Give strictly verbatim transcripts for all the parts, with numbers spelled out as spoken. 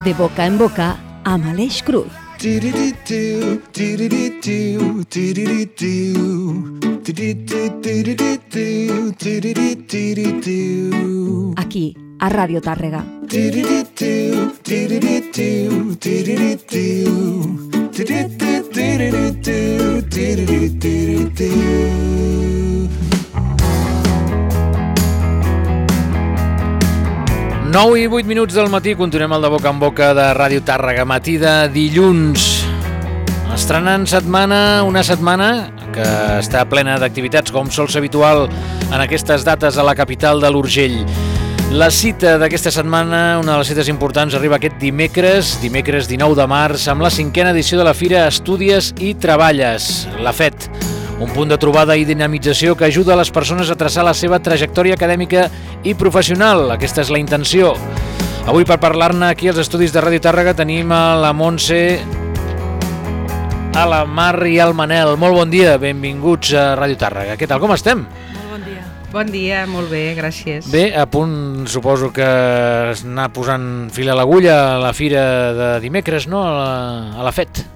De boca en boca amb Aleix Cruz. Aquí, a Ràdio Tàrrega. nou i vuit minuts del matí, continuem el de boca en boca de Ràdio Tàrrega, matí de dilluns. Estrenant setmana, una setmana que està plena d'activitats, com sol ser habitual en aquestes dates a la capital de l'Urgell. La cita d'aquesta setmana, una de les cites importants, arriba aquest dimecres, dimecres dinou de març, amb la cinquena edició de la Fira Estudies i Treballes, la F E T. Un punt de trobada i dinamització que ajuda a les persones a traçar la seva trajectòria acadèmica i professional. Aquesta és la intenció. Avui, per parlar-ne aquí als estudis de Ràdio Tàrrega, tenim a la Montse, a la Mar i al Manel. Molt bon dia, benvinguts a Ràdio Tàrrega. Què tal, com estem? Molt bon dia. Bon dia, molt bé, gràcies. Bé, a punt, suposo que anar posant fil a l'agulla a la fira de dimecres, no?, a la, a la F E T.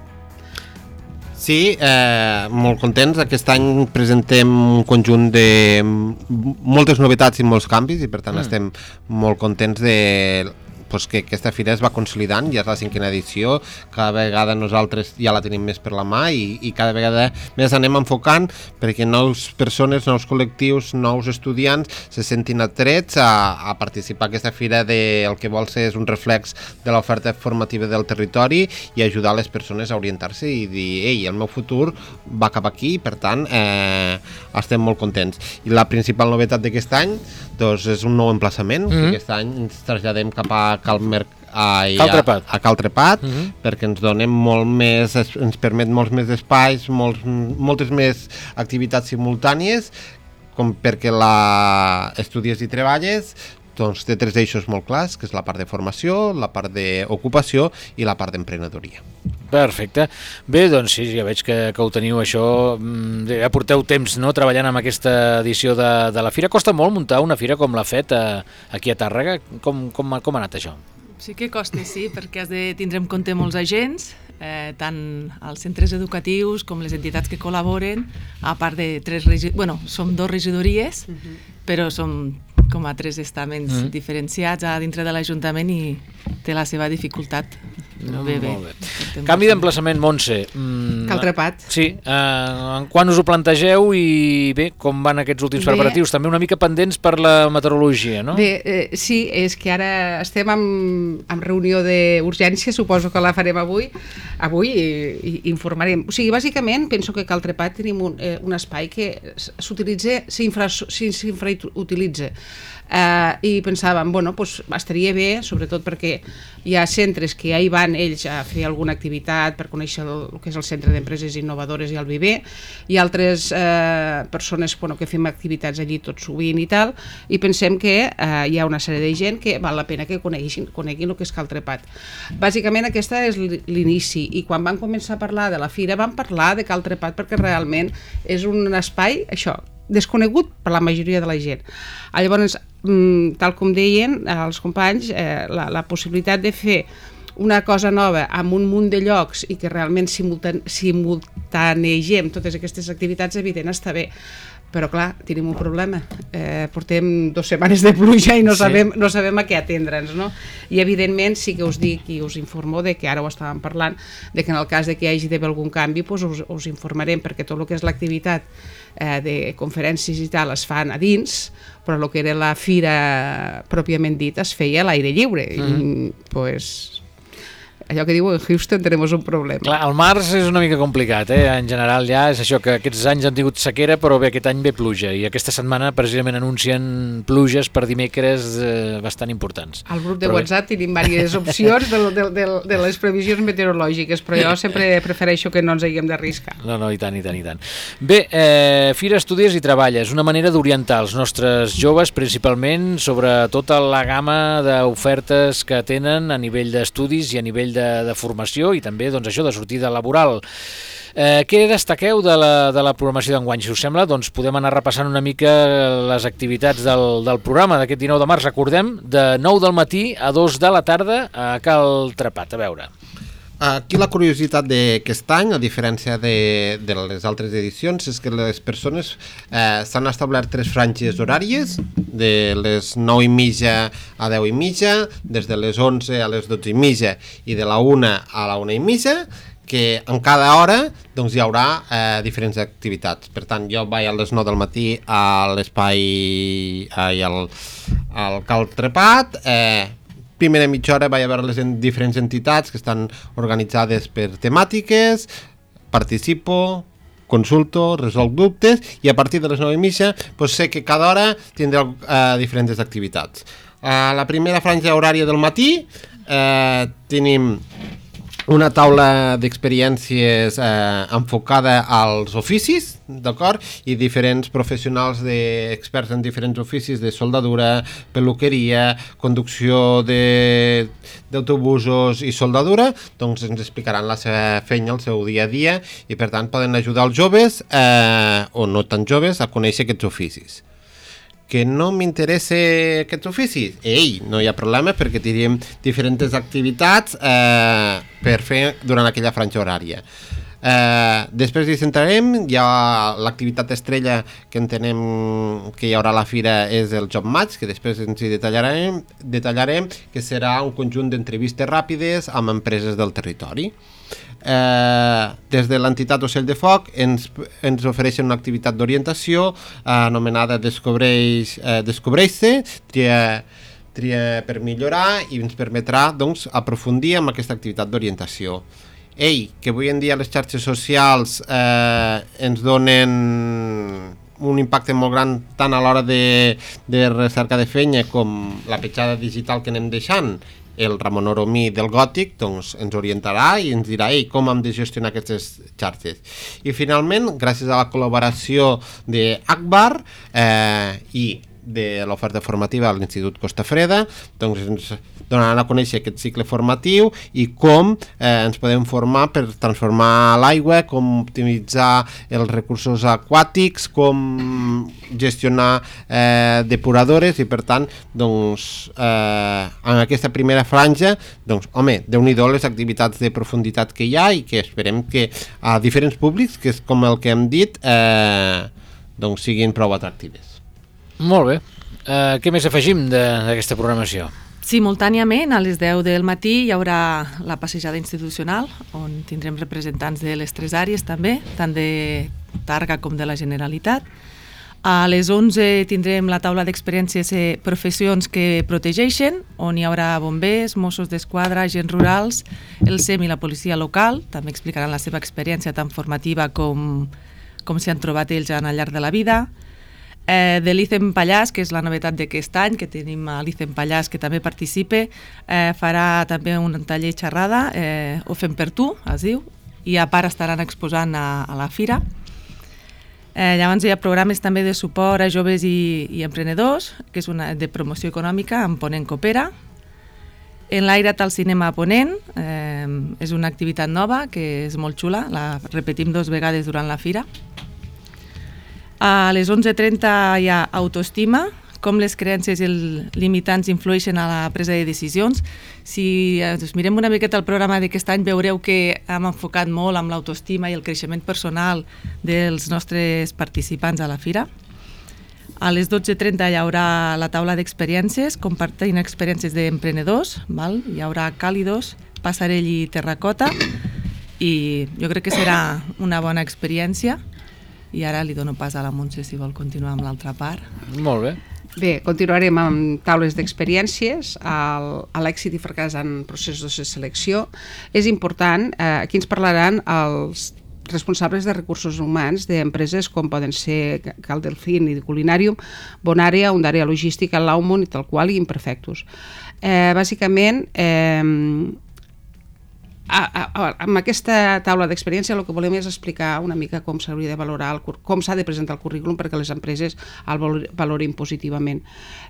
Sí, eh, molt contents. Aquest any presentem un conjunt de moltes novetats i molts canvis i per tant mm. estem molt contents de pues, que aquesta fira es va consolidant, ja és la cinquena edició, cada vegada nosaltres ja la tenim més per la mà i, i cada vegada més anem enfocant perquè nous persones, nous col·lectius, nous estudiants se sentin atrets a, a participar a aquesta fira de, el que vol ser és un reflex de l'oferta formativa del territori i ajudar les persones a orientar-se i dir, ei, el meu futur va cap aquí i per tant eh, estem molt contents. I la principal novetat d'aquest any doncs, és un nou emplaçament, mm-hmm. aquest any ens traslladem cap a Calmer, a, Cal Trepat, a, a Cal Trepat mm-hmm. perquè ens donem molt més, ens permet molts més espais, molts, moltes més activitats simultànies, com perquè la Estudies i Treballes doncs, té tres eixos molt clars, que és la part de formació, la part d'ocupació i la part d'emprenedoria. Perfecte. Bé, doncs sí, ja veig que, que ho teniu això, ja porteu temps, no?, treballant amb aquesta edició de, de la fira. Costa molt muntar una fira com la F E T a, aquí a Tàrrega? Com, com, com ha anat això? Sí que costa, sí, perquè has de tindre en compte molts agents, eh, tant els centres educatius com les entitats que col·laboren, a part de tres regidores, bueno, som dos regidories, uh-huh. però som com a tres estaments uh-huh. diferenciats a dintre de l'Ajuntament i té la seva dificultat. Però bé, bé. bé. Canvi d'emplaçament, Montse. Mm, Cal Trepat. Sí. Eh, quan us ho plantegeu i bé, com van aquests últims bé. preparatius? També una mica pendents per la meteorologia, no? Bé, eh, sí, és que ara estem amb, amb reunió d'urgència, suposo que la farem avui, avui i, i informarem. O sigui, bàsicament, penso que Cal Trepat tenim un, eh, un espai que s'utilitza, s'infrautilitza. Uh, i pensàvem, bueno, pues, estaria bé, sobretot perquè hi ha centres que ja hi van ells a fer alguna activitat per conèixer el, el que és el Centre d'Empreses Innovadores i el Viver, i altres uh, persones bueno, que fem activitats allí tot sovint i tal, i pensem que uh, hi ha una sèrie de gent que val la pena que coneguin, coneguin el que és Cal Trepat. Bàsicament aquesta és l'inici, i quan vam començar a parlar de la fira vam parlar de Cal Trepat perquè realment és un espai, això, desconegut per la majoria de la gent. Llavors, tal com deien els companys, eh, la, la possibilitat de fer una cosa nova amb un munt de llocs i que realment simultane, simultanegem totes aquestes activitats, evident, està bé. Però clar, tenim un problema. Eh, portem dues setmanes de pluja i no, sí. sabem, no sabem a què atendre'ns, no? I evidentment sí que us dic i us informo de que ara ho estàvem parlant, de que en el cas de que hi hagi d'haver algun canvi doncs us, us informarem, perquè tot el que és l'activitat eh, de conferències i tal es fan a dins, però el que era la fira pròpiament dit es feia a l'aire lliure. Mm. I pues allò que diu en Houston tenemos un problema. Clar, el març és una mica complicat, eh? En general ja és això, que aquests anys han tingut sequera, però bé, aquest any ve pluja, i aquesta setmana precisament anuncien pluges per dimecres eh, bastant importants. Al grup de però WhatsApp bé. Tenim diverses opcions de, de, de, de les previsions meteorològiques, però jo sempre prefereixo que no ens haguem d'arriscar. No, no, i tant, i tant, i tant. Bé, eh, Fira Estudies i Treballes, una manera d'orientar els nostres joves, principalment sobre tota la gamma d'ofertes que tenen a nivell d'estudis i a nivell de, de formació i també doncs, això de sortida laboral. Eh, què destaqueu de la, de la programació d'enguany? Si us sembla, doncs podem anar repassant una mica les activitats del, del programa d'aquest dinou de març. Recordem, de nou del matí a dos de la tarda a Cal Trepat. A veure. Aquí la curiositat d'aquest any, a diferència de, de les altres edicions, és que les persones eh, s'han establert tres franges horàries, de les nou i mitja a deu i mitja, des de les onze a les dotze i mitja i de la una a la una i mitja, que en cada hora doncs, hi haurà eh, diferents activitats. Per tant, jo vaig a les nou del matí a l'espai ai, al, al Cal Trepat, eh, primera mitja hora vaig a veure les en diferents entitats que estan organitzades per temàtiques, participo, consulto, resolc dubtes i a partir de les nou i mitja doncs sé que cada hora tindrà eh, diferents activitats. A la primera franja horària del matí eh, tenim una taula d'experiències eh, enfocada als oficis, d'acord? I diferents professionals de, experts en diferents oficis de soldadura, peluqueria, conducció de, d'autobusos i soldadura, doncs ens explicaran la seva feina, el seu dia a dia, i per tant poden ajudar els joves, eh, o no tan joves, a conèixer aquests oficis. Que no m'interessa aquests oficis? Ei, no hi ha problema perquè tindríem diferents activitats eh, per fer durant aquella franja horària. Eh, després hi centrarem, hi ha l'activitat estrella que entenem que hi haurà a la fira és el Job Match, que després ens hi detallarem, detallarem que serà un conjunt d'entrevistes ràpides amb empreses del territori. Eh, des de l'entitat Ocell de Foc ens, ens ofereixen una activitat d'orientació eh, anomenada Descobreix, eh, Descobreix-se, tria, tria per millorar, i ens permetrà doncs, aprofundir en aquesta activitat d'orientació. Ei, que avui en dia les xarxes socials eh, ens donen un impacte molt gran tant a l'hora de, de recerca de feina com la petjada digital que anem deixant. El Ramon Oromí del Gòtic doncs, ens orientarà i ens dirà Ei, com hem de gestionar aquestes xarxes. I finalment, gràcies a la col·laboració d'Akbar eh, i de l'oferta formativa a l'Institut Costa Freda, doncs ens donaran a conèixer aquest cicle formatiu i com eh, ens podem formar per transformar l'aigua, com optimitzar els recursos aquàtics, com gestionar eh, depuradores i per tant doncs, eh, en aquesta primera franja doncs, home, déu-n'hi-do les activitats de profunditat que hi ha i que esperem que a diferents públics, que és com el que hem dit, eh, doncs siguin prou atractives. Molt bé. Uh, què més afegim d'aquesta programació? Simultàniament, a les deu del matí hi haurà la passejada institucional, on tindrem representants de les tres àrees també, tant de Targa com de la Generalitat. A les onze tindrem la taula d'experiències i professions que protegeixen, on hi haurà bombers, Mossos d'Esquadra, agents rurals, el S E M i la policia local. També explicaran la seva experiència tant formativa com, com s'hi han trobat ells al llarg de la vida. Eh, de l'Icem Pallars, que és la novetat d'aquest any, que tenim a l'Icem Pallars que també participe, eh, farà també un taller xerrada, eh, Ho fem per tu, es diu, i a part estaran exposant a, a la fira. Eh, llavors hi ha programes també de suport a joves i, i emprenedors, que és una de promoció econòmica amb Ponent Coopera. En l'Airat al cinema a Ponent, eh, és una activitat nova que és molt xula, la repetim dues vegades durant la fira. A les onze trenta hi ha autoestima, com les creences i els limitants influeixen a la presa de decisions. Si ens mirem una miqueta el programa d'aquest any veureu que hem enfocat molt amb l'autoestima i el creixement personal dels nostres participants a la fira. A les dotze trenta hi haurà la taula d'experiències, compartint experiències d'emprenedors, val? Hi haurà càlidos, passarell i terracota, i jo crec que serà una bona experiència. I ara li dono pas a la Montse si vol continuar amb l'altra part. Molt bé. Bé, continuarem amb taules d'experiències, a l'èxit i fracàs en processos de selecció. És important, eh, aquí ens parlaran els responsables de recursos humans d'empreses com poden ser Cal Delfín i Culinàrium, Bonària, Ondària Logística, Laumon i tal qual, i Imperfectus. Eh, bàsicament, eh, A, a, amb aquesta taula d'experiència el que volem és explicar una mica com s'hauria de valorar, el, com s'ha de presentar el currículum perquè les empreses el valorin positivament.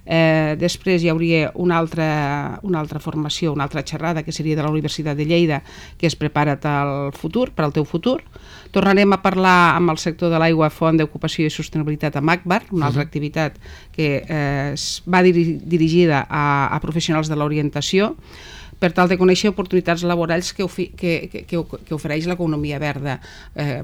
Eh, després hi hauria una altra, una altra formació, una altra xerrada que seria de la Universitat de Lleida, que és Prepara't al futur, per al teu futur. Tornarem a parlar amb el sector de l'aigua, font d'ocupació i sostenibilitat amb ACBAR, una altra uh-huh. activitat que eh, va diri- dirigida a, a professionals de l'orientació, per tal de conèixer oportunitats laborals que, ofi, que, que, que, que ofereix l'economia verda. Eh,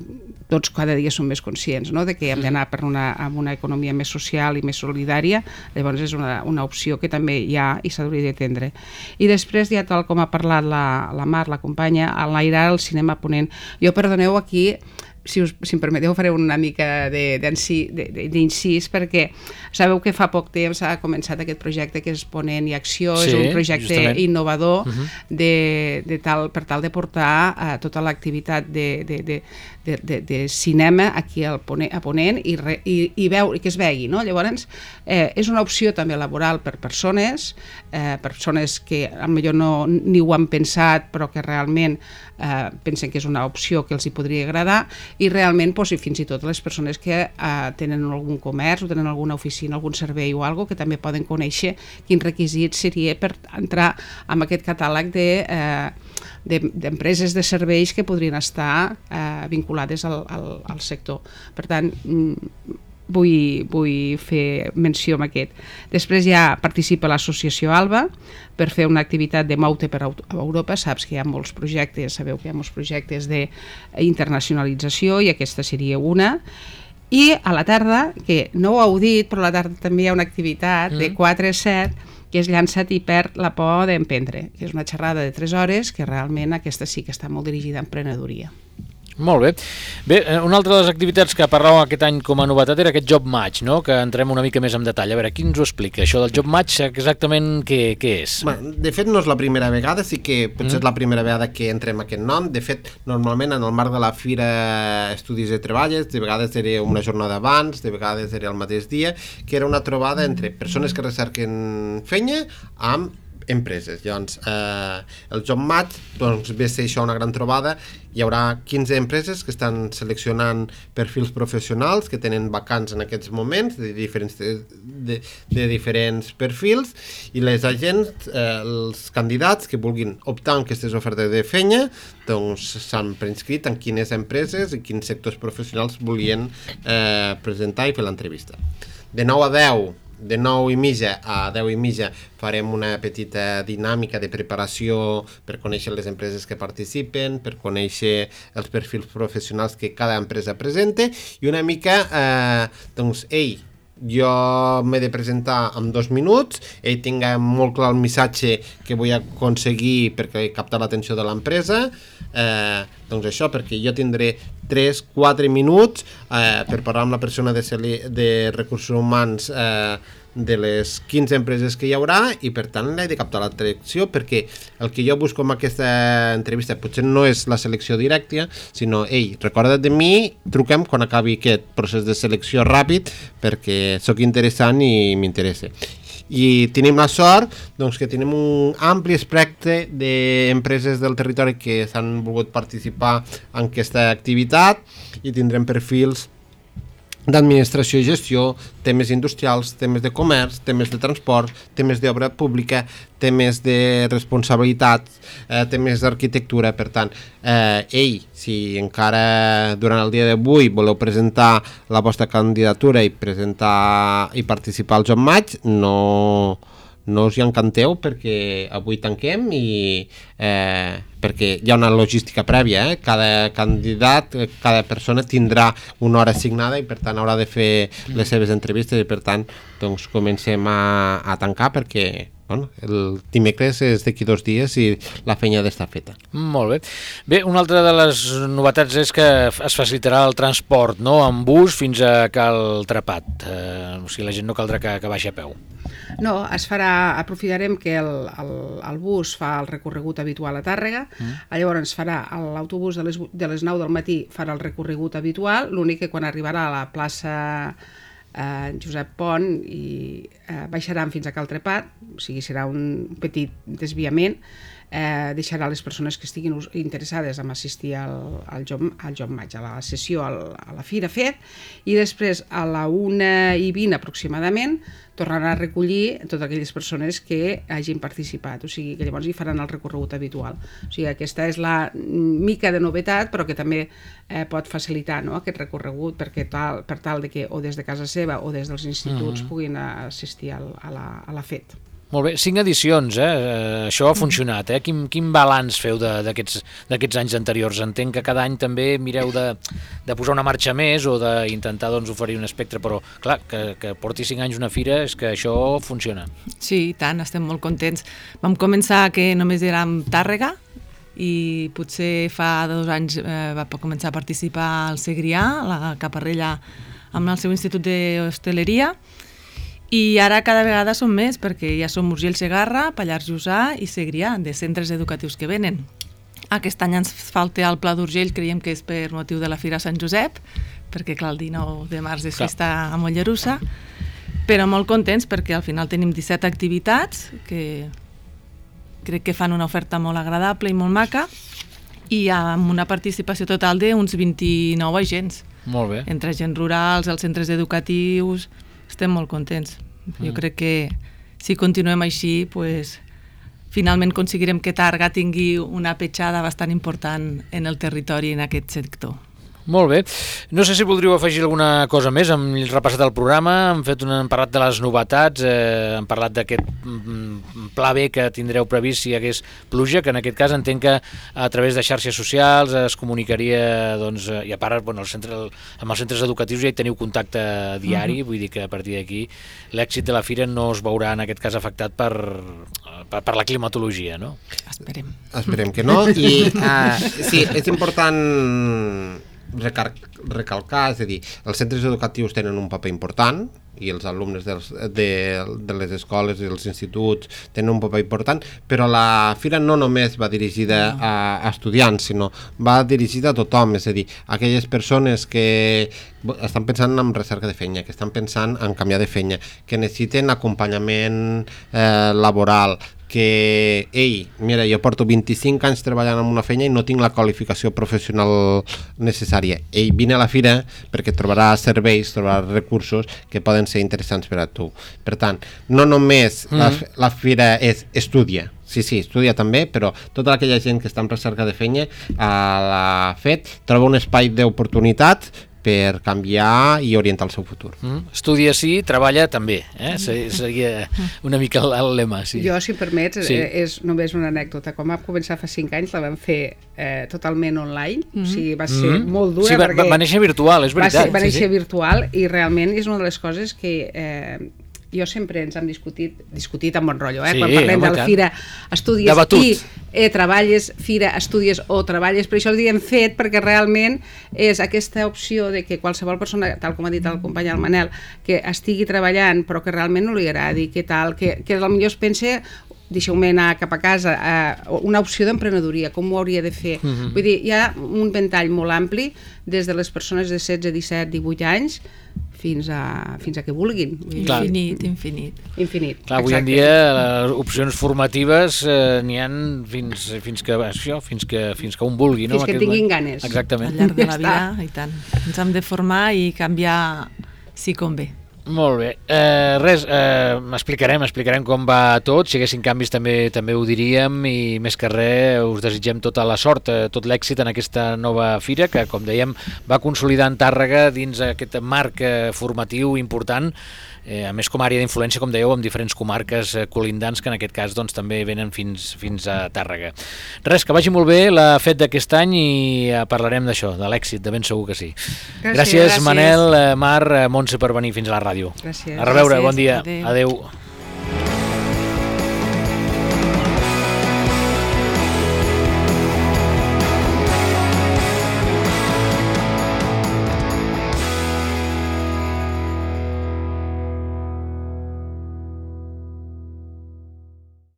tots cada dia som més conscients, no?, de que hem d'anar per una, amb una economia més social i més solidària, llavors és una, una opció que també hi ha i s'hauria d'atendre. I després, ja tal com ha parlat la, la Mar, la companya, enlairar el cinema ponent. Jo, perdoneu, aquí si, us, si em permeteu faré una mica d'incís, perquè sabeu que fa poc temps ha començat aquest projecte que és Ponent i Acció, sí, és un projecte justament innovador uh-huh. de, de tal, per tal de portar uh, tota l'activitat de, de, de, de, de, de cinema aquí al Ponent, a Ponent i, re, i, i, veu, i que es vegi, no? Llavors eh, és una opció també laboral per persones, eh, persones que potser no ni ho han pensat però que realment eh, pensen que és una opció que els hi podria agradar, i realment doncs, fins i tot les persones que eh, tenen algun comerç o tenen alguna oficina, algun servei o alguna cosa, que també poden conèixer quin requisit seria per entrar en aquest catàleg de, eh, de, d'empreses de serveis que podrien estar eh, vinculades al, al, al sector. Per tant, Vull, vull fer menció amb aquest. Després ja participa l'associació ALBA per fer una activitat de Moute per Europa. Saps que hi ha molts projectes, sabeu que hi ha molts projectes d'internacionalització i aquesta seria una. I a la tarda, que no ho heu dit, però a la tarda també hi ha una activitat mm. de quatre a set que és Llança't i perd la por d'emprendre, que és una xerrada de tres hores que realment aquesta sí que està molt dirigida a emprenedoria. Molt bé. Bé, una altra de les activitats que parlàvem aquest any com a novetat era aquest Job Match, no?, que entrem una mica més en detall. A veure, qui ens ho explica? Això del Job Match, exactament què, què és? Bueno, de fet, no és la primera vegada, sí que potser mm. és la primera vegada que entrem aquest nom. De fet, normalment en el marc de la Fira Estudis de Treballes, de vegades era una jornada abans, de vegades era el mateix dia, que era una trobada entre persones que recerquen feina amb empreses. Llavors, eh, el Job Match doncs, ve a ser això una gran trobada. Hi haurà quinze empreses que estan seleccionant perfils professionals que tenen vacants en aquests moments de diferents, de, de, de diferents perfils, i les agents, eh, els candidats que vulguin optar en aquestes ofertes de feina doncs s'han preinscrit en quines empreses i quins sectors professionals volien eh, presentar i fer l'entrevista. De nou a deu de nou i mitja a deu i mitja farem una petita dinàmica de preparació per conèixer les empreses que participen, per conèixer els perfils professionals que cada empresa presenta, i una mica, eh, doncs, ei, jo m'he de presentar en dos minuts, ell tinga molt clar el missatge que vull aconseguir perquè captar l'atenció de l'empresa, eh, doncs això, perquè jo tindré tres quatre minuts eh, per parlar amb la persona de, de recursos humans eh, de les quinze empreses que hi haurà, i per tant l'he de captar l'atenció, perquè el que jo busco amb aquesta entrevista potser no és la selecció directa, sinó, ei, recorda't de mi, truquem quan acabi aquest procés de selecció ràpid perquè sóc interessant i m'interessa. I tenim la sort doncs, que tenim un ampli espectre d'empreses del territori que s'han volgut participar en aquesta activitat, i tindrem perfils d'administració i gestió, temes industrials, temes de comerç, temes de transport, temes d'obra pública, temes de responsabilitat, eh, temes d'arquitectura. Per tant, eh, ei, si encara durant el dia d'avui voleu presentar la vostra candidatura i presentar i participar al Job Match, no, no us hi encanteu, perquè avui tanquem i eh, perquè hi ha una logística prèvia, eh? Cada candidat, cada persona tindrà una hora assignada i per tant haurà de fer les seves entrevistes, i per tant doncs comencem a, a tancar, perquè bueno, el dimecres és d'aquí dos dies i la feina ha d'estar feta. Molt bé. Bé, una altra de les novetats és que es facilitarà el transport, no?, amb bus fins a Cal Trepat. Eh, o sigui, la gent no caldrà que, que baixi a peu. No, es farà, aprofitarem que el, el, el bus fa el recorregut habitual a Tàrrega, mm. llavors farà l'autobús de les, de les nou del matí farà el recorregut habitual, l'únic que quan arribarà a la plaça eh, Josep Pont i eh, baixaran fins a Cal Trepat, o sigui, serà un petit desviament. eh, deixarà les persones que estiguin interessades en assistir al, al, job, al job match, a la sessió, al, a la Fira Fet, i després a la una i vint aproximadament tornaran a recollir totes aquelles persones que hagin participat, o sigui que llavors hi faran el recorregut habitual. O sigui, aquesta és la mica de novetat, però que també eh, pot facilitar, no?, aquest recorregut perquè tal, per tal de que o des de casa seva o des dels instituts uh-huh. puguin assistir al, a, la, a la Fet. Molt bé, cinc edicions, eh? Això ha funcionat, eh? Quin, quin balanç feu d'aquests anys anteriors? Entenc que cada any també mireu de, de posar una marxa més o d'intentar doncs, oferir un espectre, però clar, que, que porti cinc anys una fira és que això funciona. Sí, i tant, estem molt contents. Vam començar que només érem Tàrrega i potser fa dos anys eh, va començar a participar al Segrià, la Caparrella, amb el seu institut d'hostaleria. I ara cada vegada són més, perquè ja som Urgell Segarra, Pallars Jussà i Segrià, de centres educatius que venen. Aquest any ens falta el Pla d'Urgell, creiem que és per motiu de la Fira Sant Josep, perquè clar, el dinou de març és festa a Mollerussa, però molt contents perquè al final tenim disset activitats que crec que fan una oferta molt agradable i molt maca, i amb una participació total d'uns vint-i-nou agents. Molt bé. Entre agents rurals, els centres educatius. Estem molt contents. Mm. Jo crec que si continuem així, pues, finalment aconseguirem que Tàrrega tingui una petjada bastant important en el territori en aquest sector. Molt bé. No sé si voldríeu afegir alguna cosa més. Hem repassat el programa, hem, fet una, hem parlat de les novetats, eh, hem parlat d'aquest pla B que tindreu previst si hi hagués pluja, que en aquest cas entenc que a través de xarxes socials es comunicaria, doncs, i a part, bueno, el centre, amb els centres educatius ja hi teniu contacte diari, uh-huh. vull dir que a partir d'aquí l'èxit de la fira no es veurà en aquest cas afectat per, per, per la climatologia, no? Esperem. Esperem que no, i uh, sí, és important Recar recalcar, és a dir, els centres educatius tenen un paper important i els alumnes dels, de, de les escoles i els instituts tenen un paper important, però la fira no només va dirigida a, a estudiants, sinó va dirigida a tothom, és a dir, a aquelles persones que estan pensant en recerca de feina, que estan pensant en canviar de feina, que necessiten acompanyament eh, laboral, que, ei, mira, jo porto vint-i-cinc anys treballant en una feina i no tinc la qualificació professional necessària. Ei, vine a la fira perquè trobaràs serveis, trobaràs recursos que poden ser interessants per a tu. Per tant, no només mm. la, la fira és estudia, sí, sí, estudia també, però tota aquella gent que està en recerca de feina a la FET troba un espai d'oportunitat per canviar i orientar el seu futur. Mm. Estudia sí, treballa també, eh? Seria una mica el, el lema. Sí. Jo, si em permets, sí. és només una anècdota. Quan vam començar fa cinc anys la vam fer eh, totalment online, mm. o sigui, va ser mm. molt dura. Sí, va, perquè va néixer virtual, és veritat. Va, ser, va néixer sí, sí. virtual i realment és una de les coses que... Eh, jo sempre ens hem discutit, discutit amb bon rotllo, eh? Sí, quan parlem home, de la fira, estudies i eh, treballes, fira, estudies o treballes, per això el diem fet, perquè realment és aquesta opció de que qualsevol persona, tal com ha dit el company el Manel, que estigui treballant però que realment no li agradi, que tal, que, que potser es pensa deixeu-me anar cap a casa, eh, una opció d'emprenedoria, com ho hauria de fer. Uh-huh. Vull dir, hi ha un ventall molt ampli, des de les persones de setze, disset, divuit anys, fins a, fins a que vulguin. Infinit, infinit. Infinit. Clar, avui en dia les opcions formatives eh, n'hi ha fins, fins, que, això, fins, que, fins que un vulgui. Fins no? que tinguin ganes. Exactament. Al llarg de la vida, i tant. Ens hem de formar i canviar si convé. Molt bé. Eh, res, eh, explicarem, explicarem com va tot. Si haguessin canvis també també ho diríem i més que res us desitgem tota la sort, eh, tot l'èxit en aquesta nova fira que, com dèiem, va consolidant Tàrrega dins aquest marc eh, formatiu important, eh, a més com a àrea d'influència, com dèieu, amb diferents comarques eh, colindants que en aquest cas doncs, també venen fins, fins a Tàrrega. Res, que vagi molt bé la fet d'aquest any i eh, parlarem d'això, de l'èxit, de ben segur que sí. Gràcies, gràcies, gràcies. Manel, eh, Mar, eh, Montse per venir fins a la ràdio. Gràcies. A reveure, Gràcies. bon dia. Adéu. Adéu.